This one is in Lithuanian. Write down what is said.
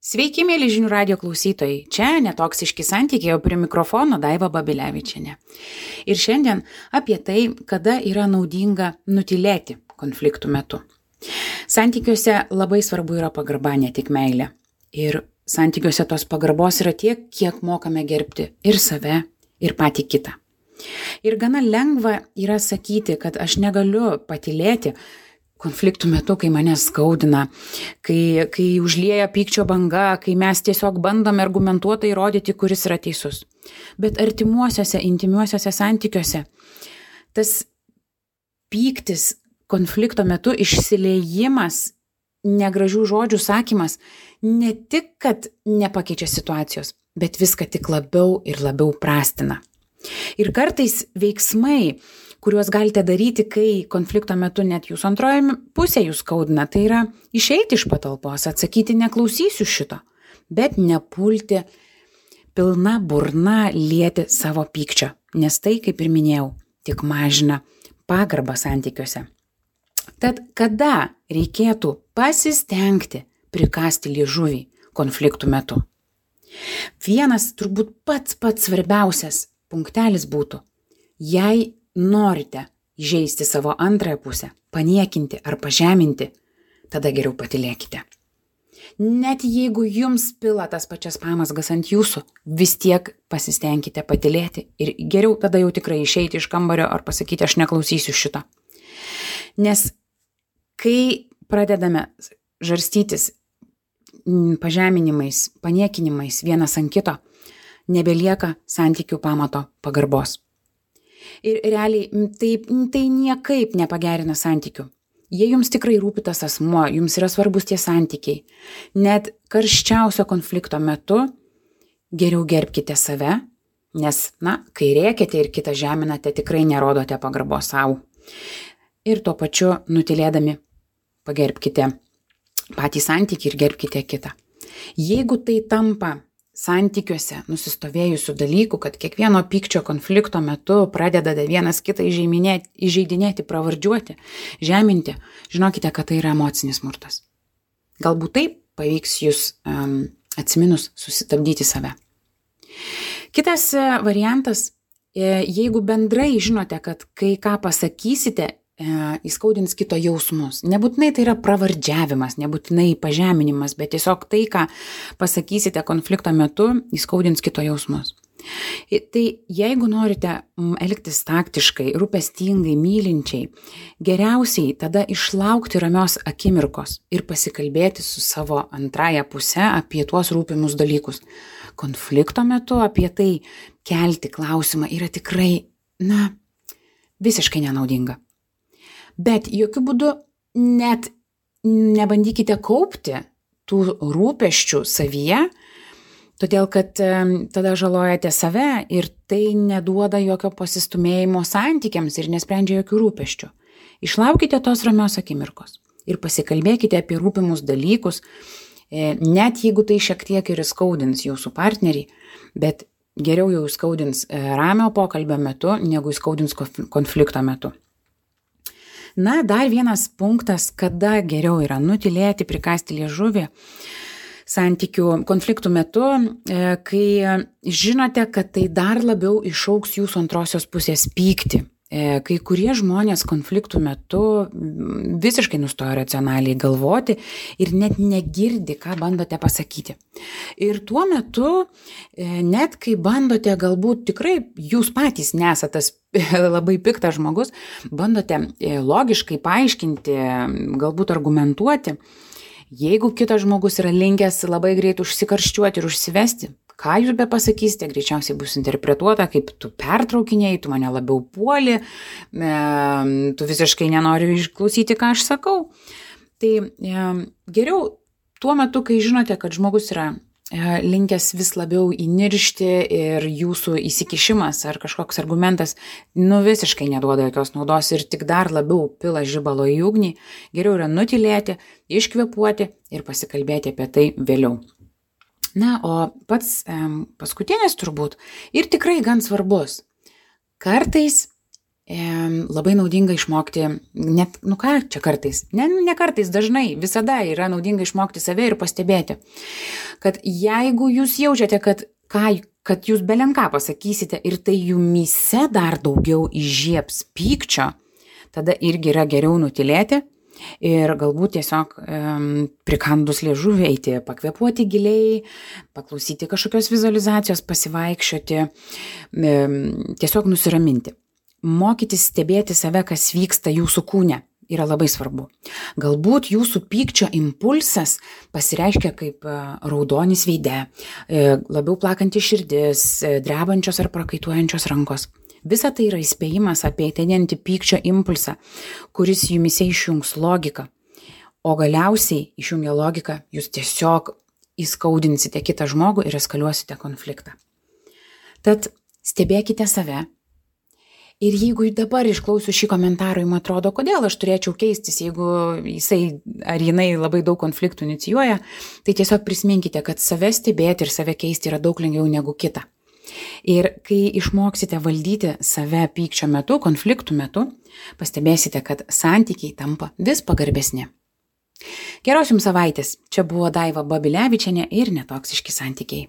Sveiki, mėly žinių radio klausytojai. Čia netoksiški santykiai, o prie mikrofono Daiva Babilevičienė. Ir šiandien apie tai, kada yra naudinga nutylėti konfliktų metu. Santykiuose labai svarbu yra pagarba, ne tik meilė. Ir santykiuose tos pagarbos yra tiek, kiek mokame gerbti ir save, ir patį kitą. Ir gana lengva yra sakyti, kad aš negaliu patylėti konfliktų metu, kai mane skaudina, kai užlieja pykčio banga, kai mes tiesiog bandome argumentuotai įrodyti, kuris yra teisus. Bet artimuosiuose, intimiuosiuose santykiuose tas pyktis konflikto metu, išsiliejimas, negražių žodžių sakymas, ne tik, kad nepakeičia situacijos, bet viską tik labiau ir labiau prastina. Ir kartais veiksmai, kuriuos galite daryti, kai konflikto metu net jūsų antroji pusė jūs skaudina, tai yra išeiti iš patalpos, atsakyti neklausysiu šito, bet nepulti pilna burna lieti savo pykčio, nes tai, kaip ir minėjau, tik mažina pagarbą santykiuose. Tad kada reikėtų pasistengti prikasti liežuvį konfliktų metu? Vienas turbūt pats svarbiausias punktelis būtų, jei norite įžeisti savo antrąją pusę, paniekinti ar pažeminti, tada geriau patylėkite. Net jeigu jums pila tas pačias pamazgas ant jūsų, vis tiek pasistengkite patylėti ir geriau tada jau tikrai išeiti iš kambario ar pasakyti, aš neklausysiu šito. Nes kai pradedame žarstytis pažeminimais, paniekinimais vienas ant kito, nebelieka santykių pamato pagarbos. Ir realiai tai niekaip nepagerina santykių. Jei jums tikrai rūpi tas asmuo, jums yra svarbus tie santykiai, net karščiausio konflikto metu geriau gerbkite save, nes, kai rėkiate ir kitą žeminate, tikrai nerodote pagarbos savo. Ir tuo pačiu nutylėdami pagerbkite patį santykį ir gerbkite kitą. Jeigu tai tampa santykiuose nusistovėjusių dalykų, kad kiekvieno pykčio konflikto metu pradedate vienas kitą įžeidinėti, pravardžiuoti, žeminti, žinokite, kad tai yra emocinis smurtas. Galbūt tai pavyks jūs atsiminus sustabdyti save. Kitas variantas, jeigu bendrai žinote, kad kai ką pasakysite, įskaudins kito jausmus. Nebūtinai tai yra pravardžiavimas, nebūtinai pažeminimas, bet tiesiog tai, ką pasakysite konflikto metu, įskaudins kito jausmus. Tai jeigu norite elgtis taktiškai, rūpestingai, mylinčiai, geriausiai tada išlaukti ramios akimirkos ir pasikalbėti su savo antrąja puse apie tuos rūpimus dalykus. Konflikto metu apie tai kelti klausimą yra tikrai, visiškai nenaudinga. Bet jokių būdų net nebandykite kaupti tų rūpesčių savyje, todėl kad tada žalojate save ir tai neduoda jokio pasistumėjimo santykiams ir nesprendžia jokių rūpesčių. Išlaukite tos ramios akimirkos ir pasikalbėkite apie rūpimus dalykus, net jeigu tai šiek tiek ir įskaudins jūsų partnerį, bet geriau jau įskaudins ramio pokalbio metu, negu įskaudins konflikto metu. Dar vienas punktas, kada geriau yra nutylėti, prikasti liežuvį santykių konfliktų metu, kai žinote, kad tai dar labiau išaugs jūsų antrosios pusės pyktį. Kai kurie žmonės konfliktų metu visiškai nustoja racionaliai galvoti ir net negirdi, ką bandote pasakyti. Ir tuo metu, net kai bandote, galbūt tikrai jūs patys nesate tas labai piktas žmogus, bandote logiškai paaiškinti, galbūt argumentuoti, jeigu kitas žmogus yra linkęs labai greit užsikarščiuoti ir užsivesti, ką jūs be pasakysite, greičiausiai bus interpretuota, kaip tu pertraukinėjai, tu mane labiau puoli, tu visiškai nenori išklausyti, ką aš sakau. Tai geriau tuo metu, kai žinote, kad žmogus yra linkęs vis labiau įniršti ir jūsų įsikišimas ar kažkoks argumentas visiškai neduoda jokios naudos ir tik dar labiau pila žibalo į ugnį, geriau yra nutylėti, iškvėpuoti ir pasikalbėti apie tai vėliau. O pats paskutinis turbūt ir tikrai gan svarbus. Kartais labai naudinga išmokti, net, čia kartais, ne kartais, dažnai, visada yra naudinga išmokti save ir pastebėti, kad jeigu jūs jaučiate, kad jūs belenką pasakysite ir tai jumyse dar daugiau įžiebs pykčio, tada irgi yra geriau nutilėti ir galbūt tiesiog prikandus liežuvį eiti, pakvėpuoti giliai, paklausyti kažkokios vizualizacijos, pasivaikščioti, tiesiog nusiraminti. Mokytis stebėti save, kas vyksta jūsų kūne, yra labai svarbu. Galbūt jūsų pykčio impulsas pasireiškia kaip raudonis veide, labiau plakanti širdis, drebančios ar prakaituojančios rankos. Visa tai yra įspėjimas apie ateinantį pykčio impulsą, kuris jumise išjungs logiką. O galiausiai išjungę logiką, jūs tiesiog įskaudinsite kitą žmogų ir eskaliuosite konfliktą. Tad stebėkite save. Ir jeigu dabar išklausiu šį komentarą, jums atrodo, kodėl aš turėčiau keistis, jeigu jisai ar jinai labai daug konfliktų inicijuoja, tai tiesiog prisiminkite, kad save stebėti ir save keisti yra daug lengviau negu kita. Ir kai išmoksite valdyti save pykčio metu, konfliktų metu, pastebėsite, kad santykiai tampa vis pagarbesni. Geros jums savaitės. Čia buvo Daiva Babilevičienė ir Netoksiški santykiai.